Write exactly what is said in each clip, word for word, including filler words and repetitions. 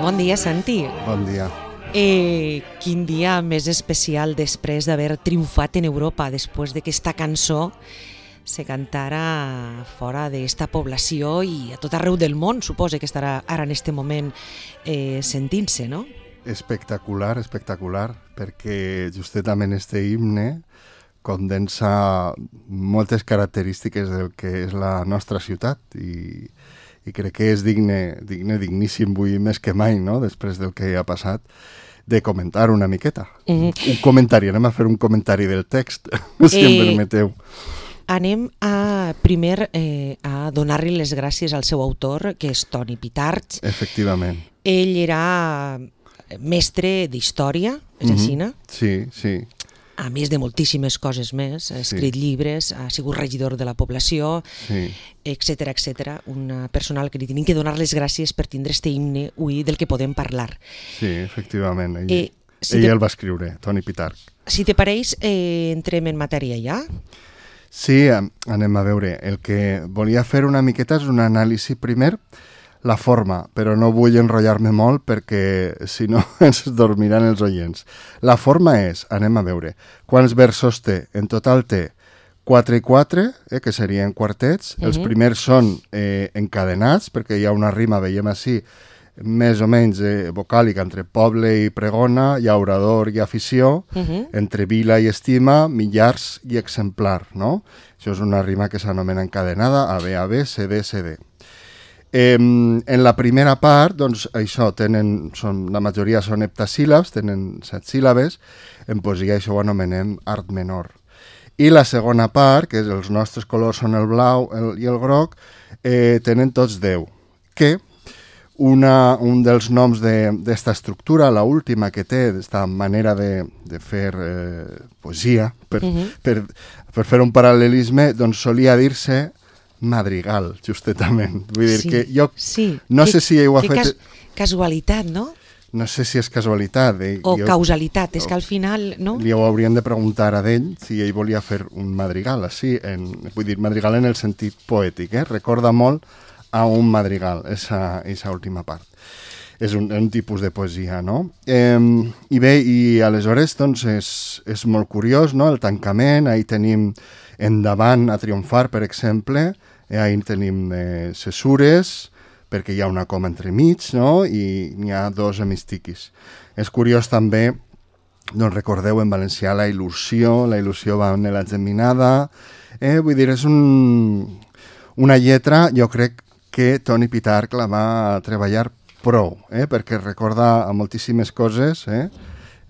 Bon dia, Santi. Bon dia. Eh, quin dia més especial després d'haver triomfat en Europa, després d'aquesta cançó se cantara fora d'esta població i a tot arreu del món, suposa que estarà ara en este moment eh, sentint-se, no? Espectacular, espectacular, perquè justament este himne condensa moltes característiques del que és la nostra ciutat i, i crec que és digne, digne, digníssim, vull més que mai, no?, després del que ha passat, de comentar una miqueta. Mm-hmm. Un comentari, anem a fer un comentari del text, si eh... em permeteu. Anem a, primer eh, a donar-li les gràcies al seu autor, que és Toni Pitarch. Efectivament. Ell era mestre d'història, és mm-hmm. així, no? Sí, sí. A més de moltíssimes coses més, ha escrit sí. llibres, ha sigut regidor de la població, sí. etcètera, etcètera. Una persona que li tenim que donar les gràcies per tindre este himne avui del que podem parlar. Sí, efectivament. Ell, eh, si ell te... el va escriure, Toni Pitarch. Si te pareix, eh, entrem en matèria ja? Sí, anem a veure. El que volia fer una miqueta és un anàlisi primer, la forma, però no vull enrotllar-me molt perquè si no ens dormiran els oients. La forma és, anem a veure, quants versos té? En total té quatre i quatre, eh, que serien quartets. Uh-huh. Els primers són eh, encadenats, perquè hi ha una rima, veiem així, més o menys eh, vocàlica entre poble i pregona, hi ha orador i afició, uh-huh. entre vila i estima, millars i exemplar, no? Això és una rima que s'anomena encadenada, A B A B, C D C D. Eh, en la primera part, doncs, això, tenen, són, la majoria són heptasíl·labs, tenen set síl·labes, en poesia això ho anomenem art menor. I la segona part, que és els nostres colors són el blau el, i el groc, eh, tenen tots deu, que una, un dels noms d'esta de, estructura, la última que té, d'esta manera de, de fer eh, poesia, per, uh-huh. per, per fer un paral·lelisme, doncs solia dir-se madrigal, justament. Vull dir sí, que jo sí. no que, sé si ho ha fet... Cas, casualitat, no? No sé si és casualitat. Eh? O jo, causalitat, és que al final, no? Li ho hauríem de preguntar a ell si ell volia fer un madrigal, així, en, vull dir, madrigal en el sentit poètic, eh? Recorda molt a un madrigal, esa, esa última part. És un, un tipus de poesia, no? Eh, I bé, i aleshores, doncs, és, és molt curiós, no?, el tancament, ahí tenim endavant a triomfar, per exemple, eh, ahí tenim eh, cesures, perquè hi ha una coma entremig, no?, i n'hi ha dos hemistiquis. És curiós també, doncs recordeu en valencià la il·lusió, la il·lusió va en la geminada, eh, vull dir, és un, una lletra, jo crec que Toni Pitarch la va treballar prou, eh, perquè recorda a moltíssimes coses, eh,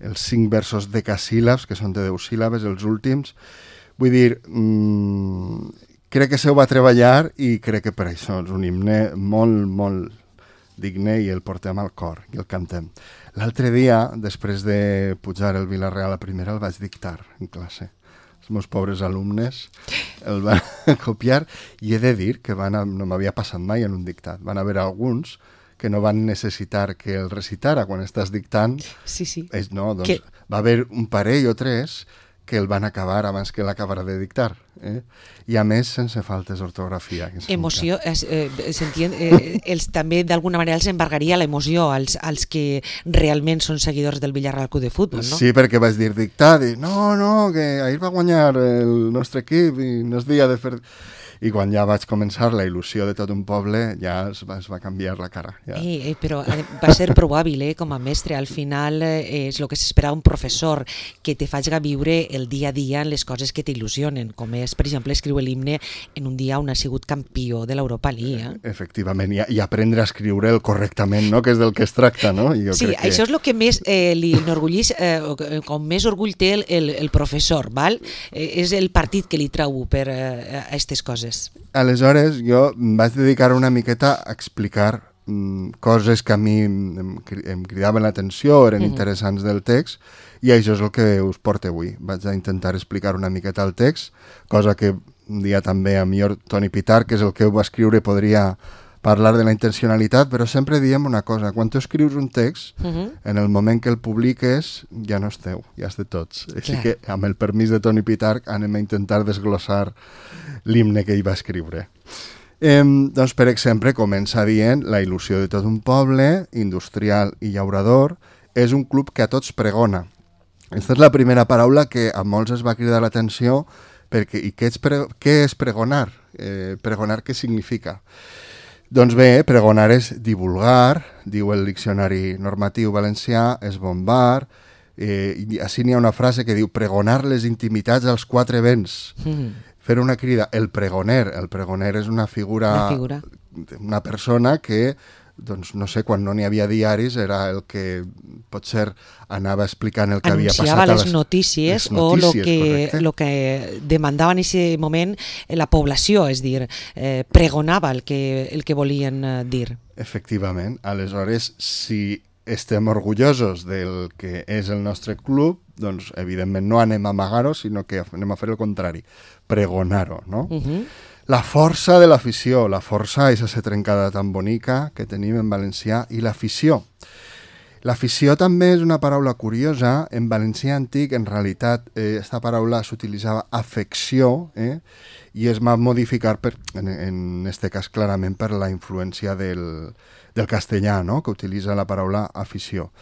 els cinc versos decasíl·labs, que són de deu síl·labes, els últims. Vull dir, mmm, crec que se ho va treballar i crec que per això és un himne molt, molt digne i el portem al cor i el cantem. L'altre dia, després de pujar el Vila-real a primera, el vaig dictar en classe. Els meus pobres alumnes el van copiar i he de dir que van a, no m'havia passat mai en un dictat. Van haver alguns que no van necessitar que el recitara quan estàs dictant. Sí, sí. És, no, doncs que... va haver un parell o tres que el van acabar abans que l'acabara de dictar. Eh? I a més sense faltes d'ortografia. Emoció, eh, s'entén, eh, els, també d'alguna manera els embargaria l'emoció als, als que realment són seguidors del Villarreal Club de Futbol, no? Sí, perquè vaig dir dictar, i no, no, que ahir va guanyar el nostre equip i no es dia de fer... I quan ja vaig començar la il·lusió de tot un poble, ja es va, es va canviar la cara. Ja. Eh, eh, però va ser prou hàbil, eh, com a mestre. Al final eh, és el que s'espera un professor, que te faci viure el dia a dia en les coses que t'il·lusionen, com és, per exemple, escriure l'himne en un dia on ha sigut campió de l'Europa League. Eh? Efectivament, i, i aprendre a escriure'l correctament, no?, que és del que es tracta, no? I jo sí, crec que... això és el que més eh, li enorgullís, eh, com més orgull té el, el, el professor, val? Eh, és el partit que li trau per eh, a aquestes coses. Aleshores, jo vaig dedicar una miqueta a explicar mm, coses que a mi em, em cridaven l'atenció, eren mm-hmm. interessants del text, i això és el que us porto avui. Vaig a intentar explicar una miqueta el text, cosa que un dia també a millor Toni Pitarch, que és el que ho va escriure, podria parlar de la intencionalitat, però sempre diem una cosa, quan tu escrius un text, uh-huh. en el moment que el publiques ja no és teu, ja és de tots. Clar. Així que, amb el permís de Toni Pitarch, anem a intentar desglossar l'himne que ell va escriure. Eh, doncs, per exemple, comença dient la il·lusió de tot un poble, industrial i llaurador, és un club que a tots pregona. Aquesta és la primera paraula que a molts es va cridar l'atenció, perquè i què és, pre, què és pregonar? Eh, pregonar què significa? Doncs bé, pregonar és divulgar, diu el diccionari normatiu valencià, és bombar, eh, i així n'hi ha una frase que diu pregonar les intimitats als quatre vents. Mm. Fer una crida, el pregoner. El pregoner és una figura, una, figura. una persona que, doncs, no sé, quan no n'hi havia diaris, era el que potser anava explicant el que anunciava havia passat. les, a les notícies, les notícies o el que, lo que demandava en aquest moment la població, és dir, eh, pregonava el que, el que volien dir. Efectivament. Aleshores, si estem orgullosos del que és el nostre club, doncs evidentment no anem a amagar-ho, sinó que anem a fer el contrari, pregonar-ho, no? Uh-huh. La força de l'afició, la força és aquesta trencada tan bonica que tenim en valencià, i l'afició. L'afició també és una paraula curiosa. En valencià antic, en realitat, eh, aquesta paraula s'utilitzava afecció, eh, i es va modificar, per, en, en este cas clarament, per la influència del, del castellà, no?, que utilitza la paraula afició.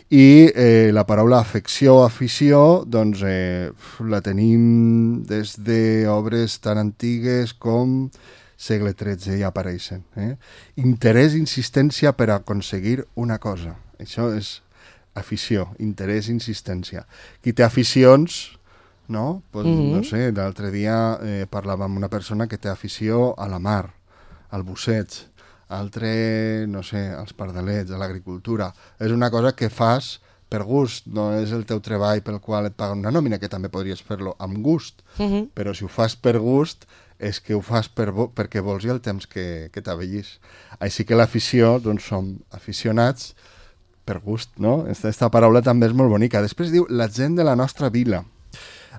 I eh, la paraula afecció o afició, doncs, eh, la tenim des d'obres tan antigues com segle tretze, ja apareixen. Eh? Interès, insistència per aconseguir una cosa. Això és afició, interès, insistència. Qui té aficions, no? Pues, mm-hmm. no sé, l'altre dia eh, parlava amb una persona que té afició a la mar, al busseig, altre, no sé, als pardalets, a l'agricultura. És una cosa que fas per gust, no és el teu treball pel qual et paguen una nòmina, que també podries fer-lo amb gust, mm-hmm. però si ho fas per gust és que ho fas per vo- perquè vols i el temps que, que t'avellís. Així que l'afició, doncs som aficionats per gust, no? Esta, esta paraula també és molt bonica. Després diu la gent de la nostra vila.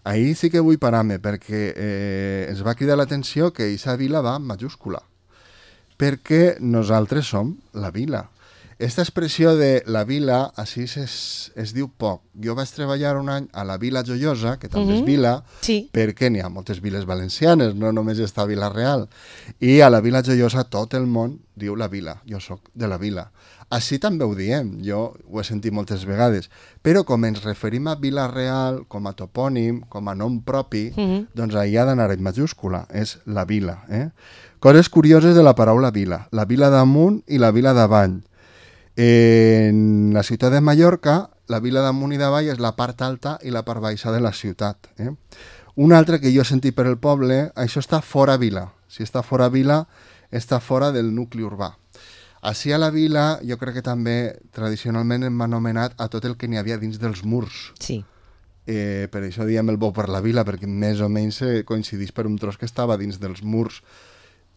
Ahí sí que vull parar-me, perquè eh, ens va cridar l'atenció que aquesta vila va en majúscula, perquè nosaltres som la vila. Esta expressió de la vila, així es, es diu poc. Jo vaig treballar un any a la Vila Joiosa, que també mm-hmm. és vila, sí. perquè n'hi ha moltes viles valencianes, no només està Vila-real. I a la Vila Joiosa tot el món diu la vila, jo sóc de la vila. Així també ho diem, jo ho he sentit moltes vegades, però com ens referim a Vila-real, com a topònim, com a nom propi, mm-hmm. doncs ahir ha d'anar en majúscula, és la vila. Eh? Coses curioses de la paraula vila, la vila damunt i la vila davall. En la ciutat de Mallorca, la vila damunt i davall és la part alta i la part baixa de la ciutat. Eh? Un altre que jo he sentit per el poble, això està fora vila. Si està fora vila, està fora del nucli urbà. Així a la vila, jo crec que també tradicionalment hem anomenat a tot el que n'hi havia dins dels murs. Sí. Eh, per això diem el bo per la vila, perquè més o menys coincidís per un tros que estava dins dels murs,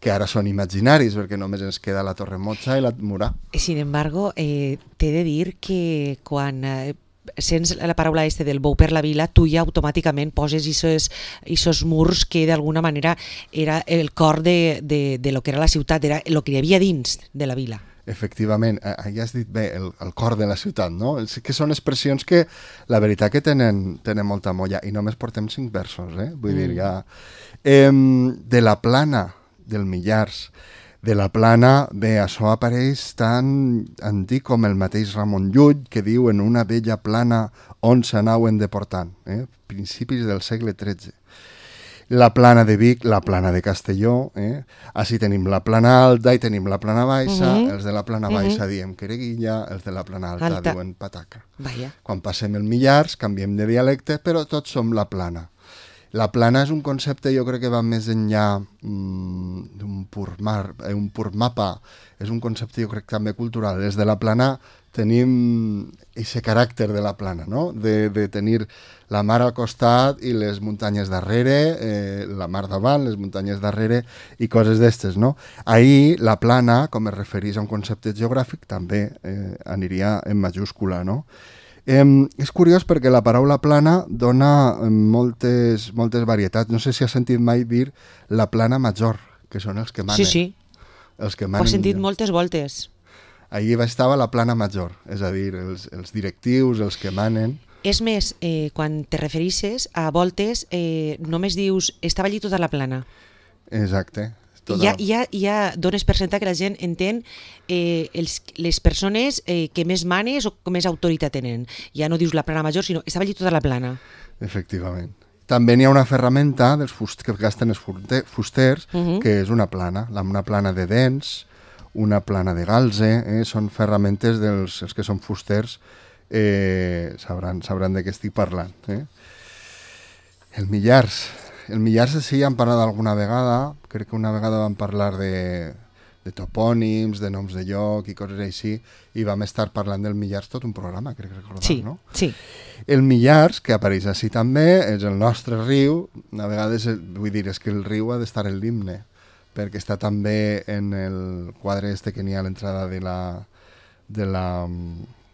que ara són imaginaris, perquè només ens queda la Torre Motxa i la Murà. Sin embargo, eh, t'he de dir que quan eh, sents la paraula este del bou per la vila, tu ja automàticament poses aquests murs que d'alguna manera era el cor de, de, de lo que era la ciutat, era el que hi havia dins de la vila. Efectivament, ja has dit bé, el, el cor de la ciutat, no? Que són expressions que la veritat que tenen, tenen molta molla, i només portem cinc versos, eh? Vull mm. dir, ja... Eh, de la Plana, del Millars. De la Plana, bé, això apareix tan antic com el mateix Ramon Llull, que diu en una vella plana on s'anaven deportant, eh? Principis del segle tretze. La Plana de Vic, la Plana de Castelló, eh? Així tenim la Plana Alta i tenim la Plana Baixa, uh-huh. els de la Plana Baixa uh-huh. diem Quereguilla, els de la Plana Alta, Alta. diuen Pataca. Vaya. Quan passem el Millars, canviem de dialecte, però tots som la Plana. La plana és un concepte, jo crec que va més enllà mm, d'un pur mar, un pur mapa, és un concepte jo crec també cultural. Des de la plana tenim aquest caràcter de la plana, no? de, de tenir la mar al costat i les muntanyes darrere, eh, la mar davant, les muntanyes darrere i coses d'estes, no? Ahir la plana, com es referís a un concepte geogràfic, també eh, aniria en majúscula, no? Eh, és curiós perquè la paraula plana dona moltes, moltes varietats. No sé si has sentit mai dir la plana major, que són els que manen. Sí, sí. Els que manen. Ho he sentit moltes voltes. Allí estava la plana major, és a dir, els, els directius, els que manen. És més, eh, quan te referisses a voltes, eh, només dius estava allí tota la plana. Exacte. Ja, ja, ja dones per sentar que la gent entén eh, els, les persones eh, que més manes o que més autoritat tenen. Ja no dius la plana major, sinó estava allí tota la plana. Efectivament. També n'hi ha una ferramenta dels fust que gasten els fusters, uh -huh. que és una plana, una plana de dents, una plana de galze, eh? Són ferramentes dels els que són fusters, eh, sabran, sabran de què estic parlant. Eh? El Millars. El Millars sí ja han parlat alguna vegada, crec que una vegada vam parlar de, de topònims, de noms de lloc i coses així, i vam estar parlant del Millars tot un programa, crec recordar, sí, no? Sí. El Millars, que apareix així també, és el nostre riu, a vegades, vull dir, és que el riu ha d'estar en l'himne, perquè està també en el quadre este que n'hi ha a l'entrada de la de la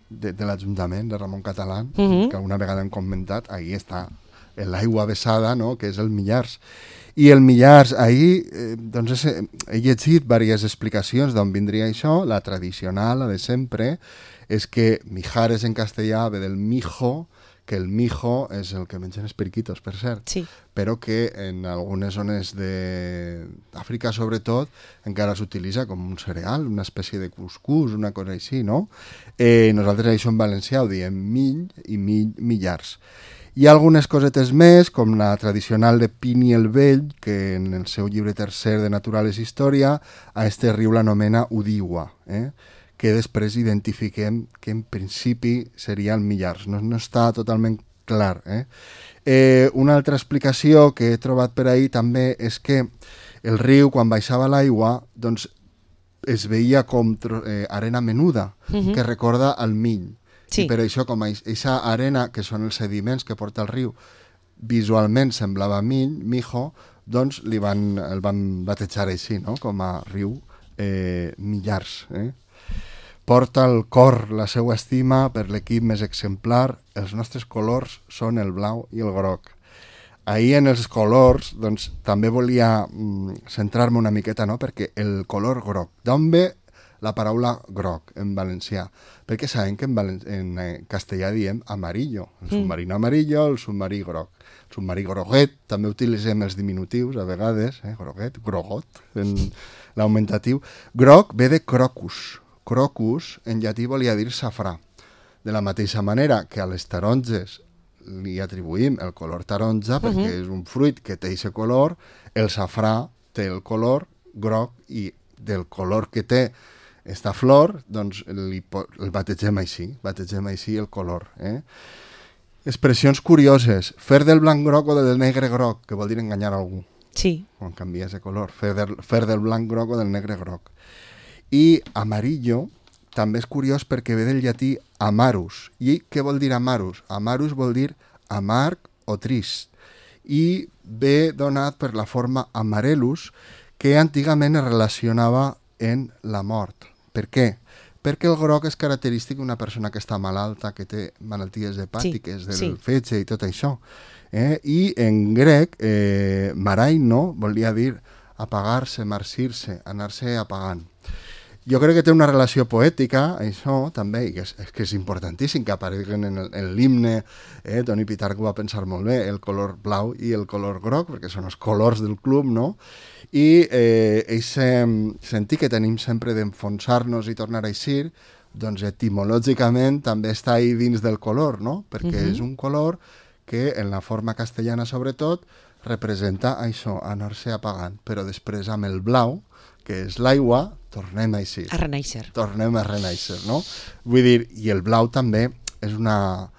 de, de l'Ajuntament de Ramon Catalán, uh -huh. que una vegada hem comentat, ahí està l'aigua vessada, no?, que és el Millars. I el Millars, ahir, eh, doncs he, he llegit diverses explicacions d'on vindria això. La tradicional, la de sempre, és que Mijares en castellà ve del mijo, que el mijo és el que mengen els periquitos, per cert, sí. però que en algunes zones d'Àfrica, sobretot, encara s'utilitza com un cereal, una espècie de cuscús, una cosa així, no? Eh, nosaltres això en valencià ho diem mill i mill, Millars. Hi ha algunes cosetes més, com la tradicional de Plini el Vell, que en el seu llibre tercer de Naturales Història, a este riu l'anomena Udiwa, eh? que després identifiquem que en principi seria el Millars. No, no està totalment clar. Eh? Eh, una altra explicació que he trobat per ahir també és que el riu, quan baixava l'aigua, doncs es veia com eh, arena menuda, uh-huh. que recorda al mill. Sí. I per això, com aquesta arena, que són els sediments que porta el riu, visualment semblava mill, mijo, doncs li van, el van batejar així, no?, com a riu eh, Millars. Eh? Porta al cor la seva estima per l'equip més exemplar. Els nostres colors són el blau i el groc. Ahir en els colors, doncs, també volia mm, centrar-me una miqueta, no?, perquè el color groc, d'on ve la paraula groc en valencià? Perquè sabem que en, valen... en castellà diem amarillo, el submarino amarillo, el submarí groc. El submarí groguet, també utilitzem els diminutius a vegades, eh? groguet, grogot, en l'augmentatiu. Groc ve de crocus. Crocus en llatí volia dir safrà. De la mateixa manera que a les taronges li atribuïm el color taronja, perquè uh-huh. és un fruit que té aquest color, el safrà té el color groc i del color que té esta flor, doncs li, el bategem així, bategem així el color. Eh? Expressions curioses, fer del blanc groc o del negre groc, que vol dir enganyar algú. Sí. Quan canvies de color, fer del, fer del blanc groc o del negre groc. I amarillo també és curiós perquè ve del llatí amarus. I què vol dir amarus? Amarus vol dir amarg o trist. I ve donat per la forma amarellus, que antigament es relacionava en la mort. Per què? Perquè el groc és característic d'una persona que està malalta, que té malalties hepàtiques, sí, del sí. fetge i tot això. Eh? I en grec, eh, maraino volia dir apagar-se, marcir-se, anar-se apagant. Jo crec que té una relació poètica, això també, i que és, és, que és importantíssim que apareguen en, el, en l'himne. Eh? Toni Pitarch va pensar molt bé, el color blau i el color groc, perquè són els colors del club, no? I eh, aquest sentit que tenim sempre d'enfonsar-nos i tornar a eixir, doncs etimològicament també està ahí dins del color, no? Perquè uh-huh. és un color que en la forma castellana sobretot representa això, anar-se apagant, però després amb el blau, que és l'aigua, tornem a eixir. A renaixer. Tornem a renaixer, no? Vull dir, i el blau també és una,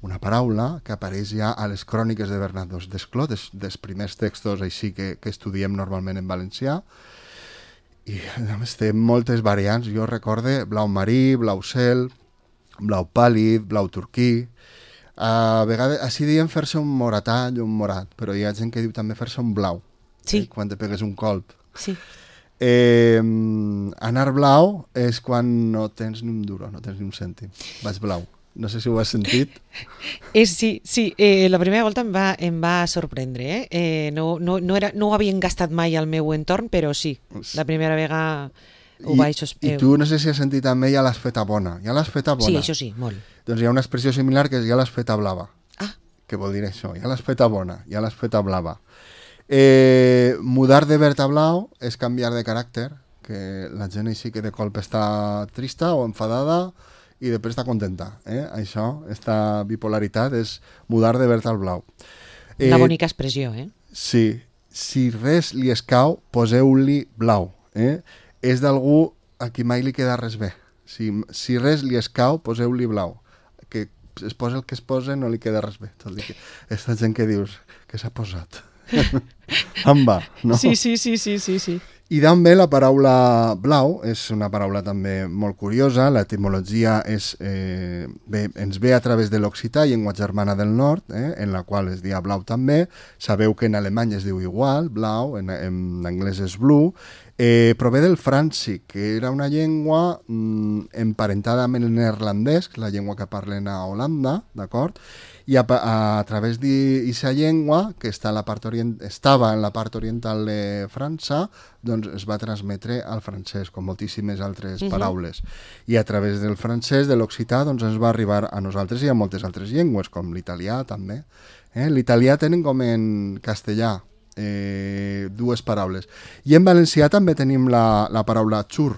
una paraula que apareix ja a les cròniques de Bernat d'Escló, des, dels primers textos així que, que estudiem normalment en valencià, i a més té moltes variants. Jo recorde blau marí, blau cel, blau pàl·lid, blau turquí. A vegades, així diem fer-se un moratall o un morat, però hi ha gent que diu també fer-se un blau, sí. eh, quan te pegues un colp. Sí. Eh, anar blau és quan no tens ni un duro, no tens ni un cèntim. Vaig blau. No sé si ho has sentit. Eh, sí, sí. Eh, la primera volta em va, em va sorprendre. Eh? Eh, no, no, no, era, no ho havien gastat mai al meu entorn, però sí, la primera vegada ho I, vaig... I tu no sé si has sentit també ja l'has feta bona. Ja l'has feta bona. Sí, això sí, molt. Doncs hi ha una expressió similar que és ja l'has feta blava. Ah. Que vol dir això, ja l'has feta bona, ja l'has feta blava. Eh, mudar de verd a blau és canviar de caràcter, que la gent així que de colp està trista o enfadada i després està contenta. Eh? Això, esta bipolaritat és mudar de verd al blau. Eh, Una bonica expressió, eh? Sí. Si res li escau, poseu-li blau. Eh? És d'algú a qui mai li queda res bé. Si, si res li escau, poseu-li blau. Que es posa el que es posa no li queda res bé. Tot i que aquesta gent que dius que s'ha posat. Em va, no? Sí, sí, sí, sí, sí, sí. I d'on ve la paraula blau? És una paraula també molt curiosa. L'etimologia és, eh, bé, ens ve a través de l'occità, llengua germana del nord, eh, en la qual es dia blau també. Sabeu que en alemany es diu igual, blau, en, en anglès és blue. Eh, prové del fràncic, que era una llengua mm, emparentada amb el neerlandès, la llengua que parlen a Holanda, d'acord? I a, a, a través d'aquesta llengua, que està a la part orient, estava en la part oriental de França, doncs es va transmetre al francès, com moltíssimes altres uh-huh. paraules. I a través del francès, de l'occità, doncs ens va arribar a nosaltres i a moltes altres llengües, com l'italià també. Eh? L'italià tenen com en castellà eh, dues paraules. I en valencià també tenim la, la paraula xur,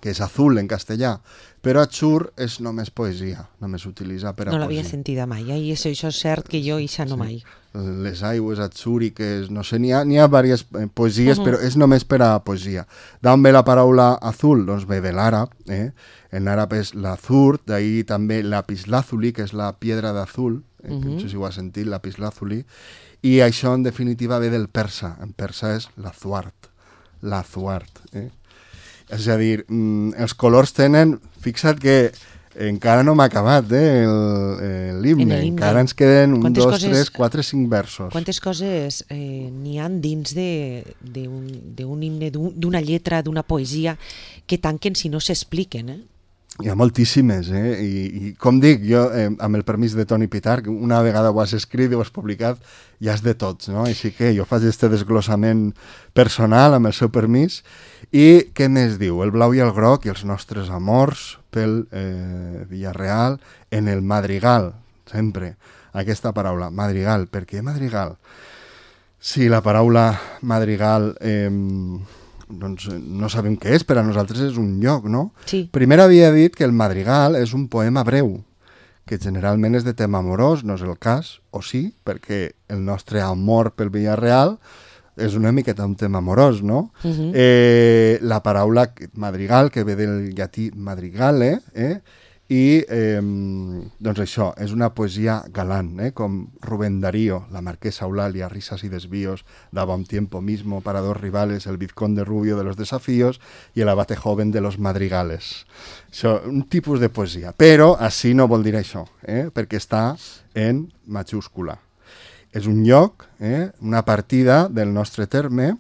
que és azul en castellà, però xur és només poesia, només s'utilitza per a no poesia. No l'havia sentida mai, eh? I això, això és cert que jo ixa no sí. mai. Les aigües atzúriques, no sé, n'hi ha, n'hi ha diverses poesies, uh-huh. però és només per a poesia. D'on ve la paraula azul? Doncs ve de l'àrab, eh? En àrab és l'azur, d'ahir també lapislázuli, que és la piedra d'azul, eh? uh-huh. no sé si ho has sentit, lapislázuli, i això en definitiva ve del persa, en persa és l'azuart, l'azuart, eh? És a dir, mm, els colors tenen... Fixa't que encara no m'ha acabat eh, l'himne, encara ens queden un, quantes dos, coses, tres, quatre, cinc versos. Quantes coses eh, n'hi han dins d'un himne, d'una lletra, d'una poesia, que tanquen si no s'expliquen, eh? Hi ha moltíssimes, eh? I, i com dic, jo, eh, amb el permís de Toni Pitarch, una vegada ho has escrit i ho has publicat, ja és de tots, no? Així que jo faig este desglossament personal amb el seu permís. I què més diu? El blau i el groc i els nostres amors pel eh, Villarreal en el madrigal, sempre, aquesta paraula, madrigal. Per què madrigal? Sí, la paraula madrigal... Eh, doncs no sabem què és, per a nosaltres és un lloc, no? Sí. Primer havia dit que el madrigal és un poema breu, que generalment és de tema amorós, no és el cas, o sí, perquè el nostre amor pel Villarreal és una miqueta un tema amorós, no? Uh-huh. eh, la paraula madrigal, que ve del llatí madrigale, eh? i eh, doncs això, és una poesia galant, eh? Com Rubén Darío, la marquesa Eulalia, risas y desvíos, daba un tiempo mismo para dos rivales, el vizconde rubio de los desafíos y el abate joven de los madrigales. Això, un tipus de poesia, però així no vol dir això, eh? Perquè està en majúscula. És un lloc, eh? Una partida del nostre terme,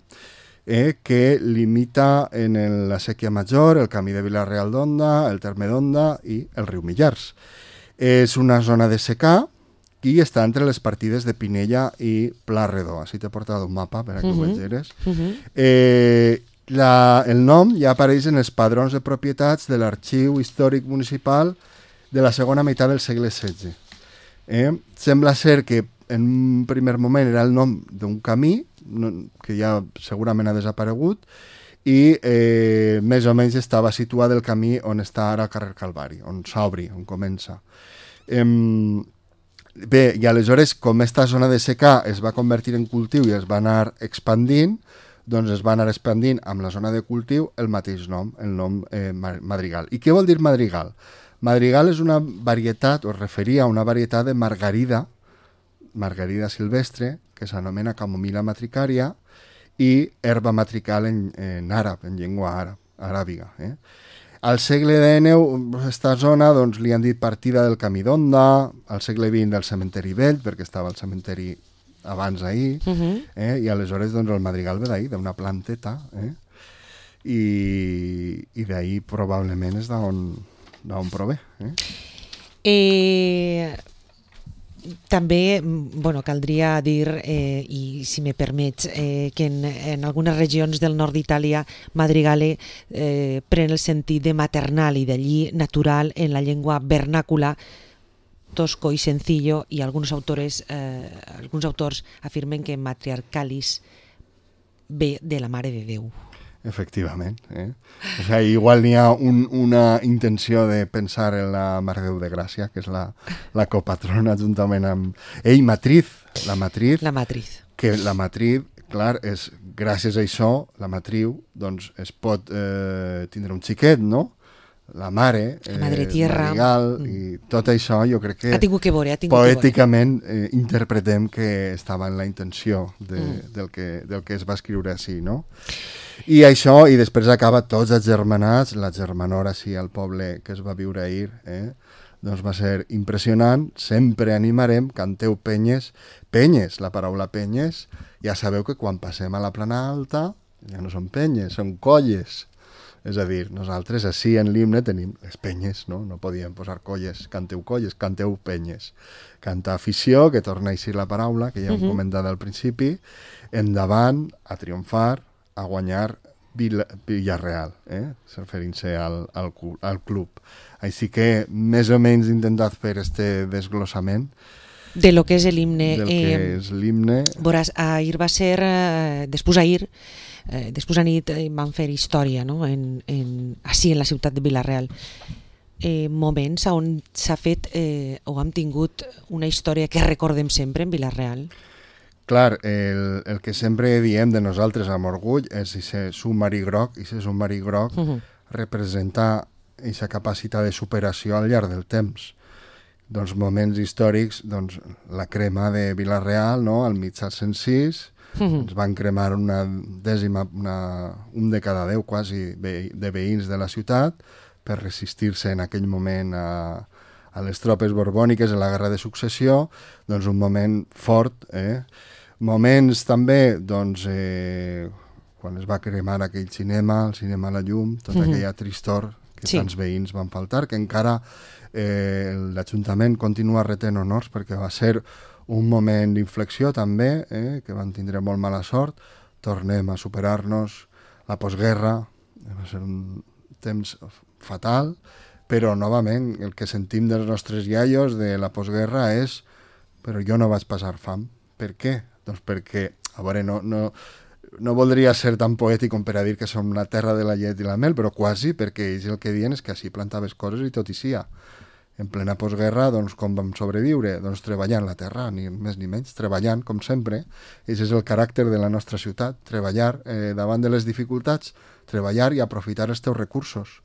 Eh, que limita en el, la Sèquia Major, el camí de Vila-real d'Onda, el terme d'Onda i el riu Millars. És una zona de secà i està entre les partides de Pinella i Pla Redó. Així t'he portat un mapa per a que uh-huh. ho vegeres. Uh-huh. eh, la, el nom ja apareix en els padrons de propietats de l'Arxiu Històric Municipal de la segona meitat del segle setze. Eh, sembla ser que en un primer moment era el nom d'un camí, no, que ja segurament ha desaparegut, i eh, més o menys estava situat el camí on està ara el carrer Calvari, on s'obri, on comença. Eh, bé, i aleshores, com aquesta zona de secà es va convertir en cultiu i es va anar expandint, doncs es va anar expandint amb la zona de cultiu el mateix nom, el nom eh, madrigal. I què vol dir madrigal? Madrigal és una varietat, o es referia a una varietat de margarida, margarida silvestre, que s'anomena camomila matricària, i herba matrical en, en àrab, en llengua àrab, aràbiga. Eh? Al segle dinou, aquesta zona doncs, li han dit partida del camí d'Onda, al segle vint del cementeri vell, perquè estava el cementeri abans ahir, uh-huh. eh? I aleshores doncs, el madrigal ve d'ahir, d'una planteta, eh? i, i d'ahir probablement és d'on, d'on prové. Eh? Eh... També, bueno, caldria dir, eh, i si me permets, eh, que en, en algunes regions del nord d'Itàlia madrigale eh, pren el sentit de maternal i d'allí natural en la llengua vernàcula, tosco i sencillo, i alguns autores, eh, alguns autors afirmen que Matriarcalis ve de la Mare de Déu. Efectivament. Eh? O sea, igual n'hi ha un, una intenció de pensar en la Mare de Déu de Gràcia, que és la, la copatrona, juntament amb... Ei, Matriz, la Matriz. La Matriz. Que la Matriz, clar, és, gràcies a això, la Matriu, doncs, es pot eh, tindre un xiquet, no? La mare, la Madre eh, Tierra, Marigal, mm. i tot això jo crec que, ha tingut que veure, ha tingut poèticament eh, interpretem que estava en la intenció de, mm. del, que, del que es va escriure així, no? I això, i després acaba tots agermanats, la germanora així al poble que es va viure ahir, eh? Doncs va ser impressionant, sempre animarem, canteu penyes, penyes, la paraula penyes, ja sabeu que quan passem a la plana alta ja no són penyes, són colles. És a dir, nosaltres així en l'himne tenim les penyes, no? No podíem posar colles, canteu colles, canteu penyes. Canta afició, que torna a eixir la paraula, que ja hem uh -huh. comentat al principi, endavant, a triomfar, a guanyar Vila, Villarreal, eh? referint-se al, al, al club. Així que més o menys he intentat fer este desglossament de lo que és l'himne. Del que eh, és l'himne. Veuràs, ahir va ser, eh, després ahir, Eh, després a nit eh, van fer història, no? en, en, així en la ciutat de Vila-real, eh, moments on s'ha fet eh, o hem tingut una història que recordem sempre en Vila-real. Clar, el, el que sempre diem de nosaltres amb orgull és aquest submarí groc, i aquest submarí groc uh -huh. representa aquesta capacitat de superació al llarg del temps. Doncs moments històrics, doncs la crema de Vila-real, no? Al mil set-cents sis, Uh-huh. ens van cremar una dècima, una, un de cada deu quasi ve, de veïns de la ciutat per resistir-se en aquell moment a, a les tropes borbòniques en la guerra de successió, doncs un moment fort. Eh? Moments també, doncs, eh, quan es va cremar aquell cinema, el cinema a la llum, tota uh-huh. aquella tristor que sí. tants veïns van faltar, que encara eh, l'Ajuntament continua retent honors perquè va ser un moment d'inflexió també, eh, que van tindre molt mala sort, tornem a superar-nos, la postguerra, va ser un temps fatal, però novament el que sentim dels nostres iaios de la postguerra és però jo no vaig passar fam. Per què? Doncs perquè, a veure, no, no, no voldria ser tan poètic com per a dir que som la terra de la llet i la mel, però quasi, perquè ells el que diuen és que així plantaves coses i tot hi sia. En plena postguerra, doncs, com vam sobreviure? Doncs treballant la terra, ni més ni menys, treballant, com sempre. Aquest és el caràcter de la nostra ciutat, treballar eh, davant de les dificultats, treballar i aprofitar els teus recursos.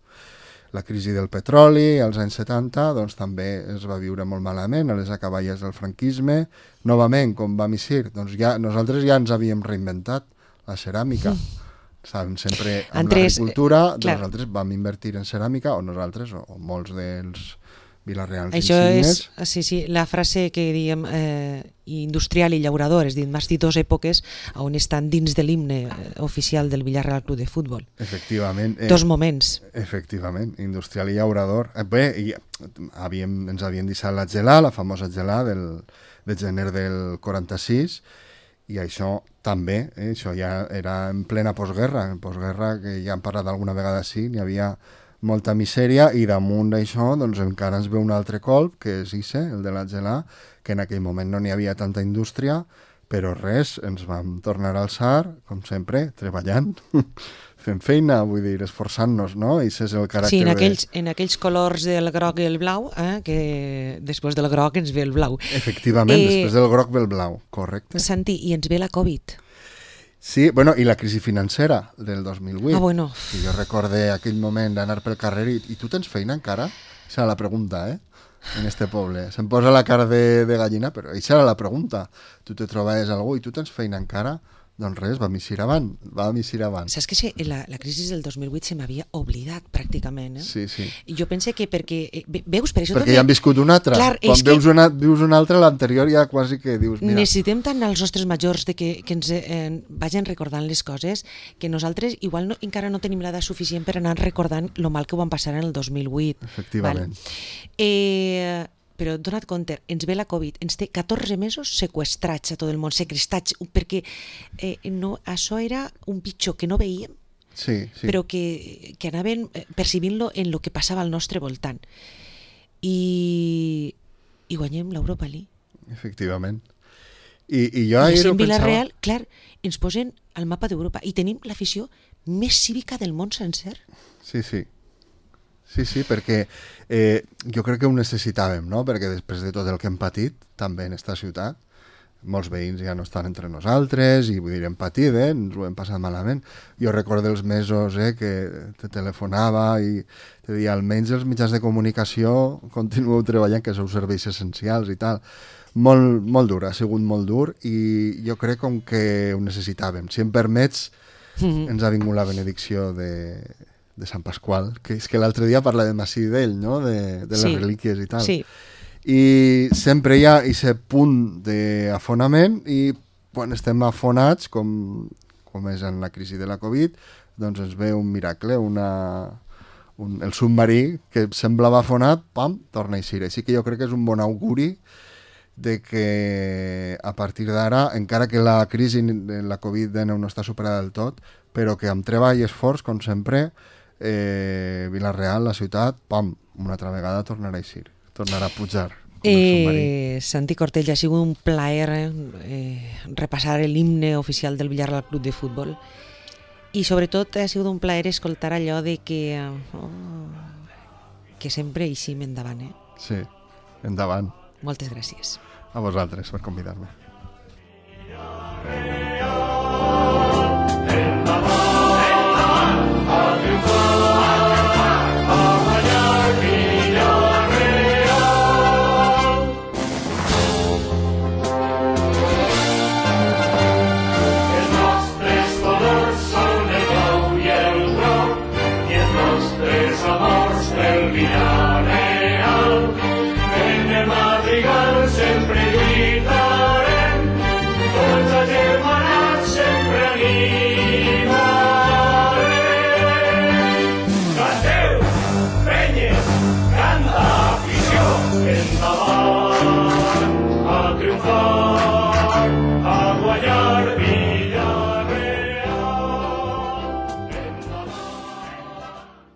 La crisi del petroli, als anys setanta, doncs també es va viure molt malament, a les acaballes del franquisme. Novament, com vam eixir, doncs ja, nosaltres ja ens havíem reinventat la ceràmica. Saben, sempre amb Andrés, l'agricultura, eh, nosaltres vam invertir en ceràmica, o nosaltres, o, o molts dels Vila-reals Això insignes. és, sí, sí, la frase que diem eh, industrial i llaurador, és dir, m'has dit dues èpoques on estan dins de l'himne eh, oficial del Villarreal Club de Futbol. Efectivament. Eh, Dos moments. Efectivament, industrial i llaurador. Eh, bé, i havíem, ens havien deixat la gelà, la famosa gelà del, de gener del quaranta-sis, i això també, eh, això ja era en plena postguerra, en postguerra, que ja hem parlat alguna vegada així, n'hi havia molta misèria, i damunt d'això doncs, encara ens ve un altre colp, que és Ise, el de la gelà, que en aquell moment no n'hi havia tanta indústria, però res, ens vam tornar a alçar, com sempre, treballant, fent feina, vull dir, esforçant-nos, no? I això és el caràcter sí, en aquells, de... en aquells colors del groc i el blau, eh, que després del groc ens ve el blau. Efectivament, eh, després del groc ve el blau, correcte. Santi, i ens ve la Covid. Sí, bueno, i la crisi financera del dos mil vuit. Ah, bueno. I jo recorde aquell moment d'anar pel carrer i, i tu tens feina encara? Aquesta era la pregunta, eh? En este poble. Se'm posa la cara de, de gallina, però aquesta era la pregunta. Tu te trobaves algú i tu tens feina encara? Doncs res, vam eixir avant, vam eixir avant. Saps que sí, la, la crisi del dos mil vuit se m'havia oblidat pràcticament, eh? Sí, sí. I jo pense que perquè, eh, veus, per això perquè també... ja han viscut una altra. Clar, quan veus, que... una, vius una altra, l'anterior ja quasi que dius, mira... Necessitem tant als nostres majors de que, que ens eh, vagin recordant les coses, que nosaltres igual no, encara no tenim l'edat suficient per anar recordant lo mal que ho van passar en el dos mil vuit. Efectivament. Val? Eh... Però dona't compte, ens ve la Covid, ens té catorze mesos seqüestrats a tot el món, segrestats, perquè eh, no, això era un pitjor que no veíem, sí, sí. però que, que anaven percibint-lo en el que passava al nostre voltant. I i guanyem l'Europa League. Efectivament. I, i jo I ahir així ho en Villarreal, pensava... clar, ens posen al mapa d'Europa i tenim l'afició més cívica del món sencer. Sí, sí. Sí, sí, perquè eh, jo crec que ho necessitàvem, no? Perquè després de tot el que hem patit, també en esta ciutat, molts veïns ja no estan entre nosaltres i vull dir, hem patit, eh? Ens ho hem passat malament. Jo recordo els mesos eh, que te telefonava i te deia almenys els mitjans de comunicació continueu treballant, que sou serveis essencials i tal. Molt, molt dur, ha sigut molt dur i jo crec com que ho necessitàvem. Si em permets, mm-hmm. ens ha vingut la benedicció de... de Sant Pasqual, que és que l'altre dia parlàvem així d'ell, no? De, de les sí, relíquies i tal. Sí. I sempre hi ha aquest punt d'afonament i quan estem afonats, com, com és en la crisi de la Covid, doncs ens ve un miracle, una, un, el submarí que semblava afonat, pam, torna a eixir. Així que jo crec que és un bon auguri de que a partir d'ara, encara que la crisi de la Covid dinou no està superada del tot, però que amb treball i esforç, com sempre, Eh, Villarreal, la ciutat, pam, una altra vegada tornarà a eixir, tornarà a pujar. Eh, Santi Cortell, ha sigut un plaer eh, repassar l'himne oficial del Villarreal Club de Futbol i sobretot ha sigut un plaer escoltar allò de que oh, que sempre eixim endavant. Eh? Sí, endavant. Moltes gràcies. A vosaltres per convidar-me. Amors del Villar.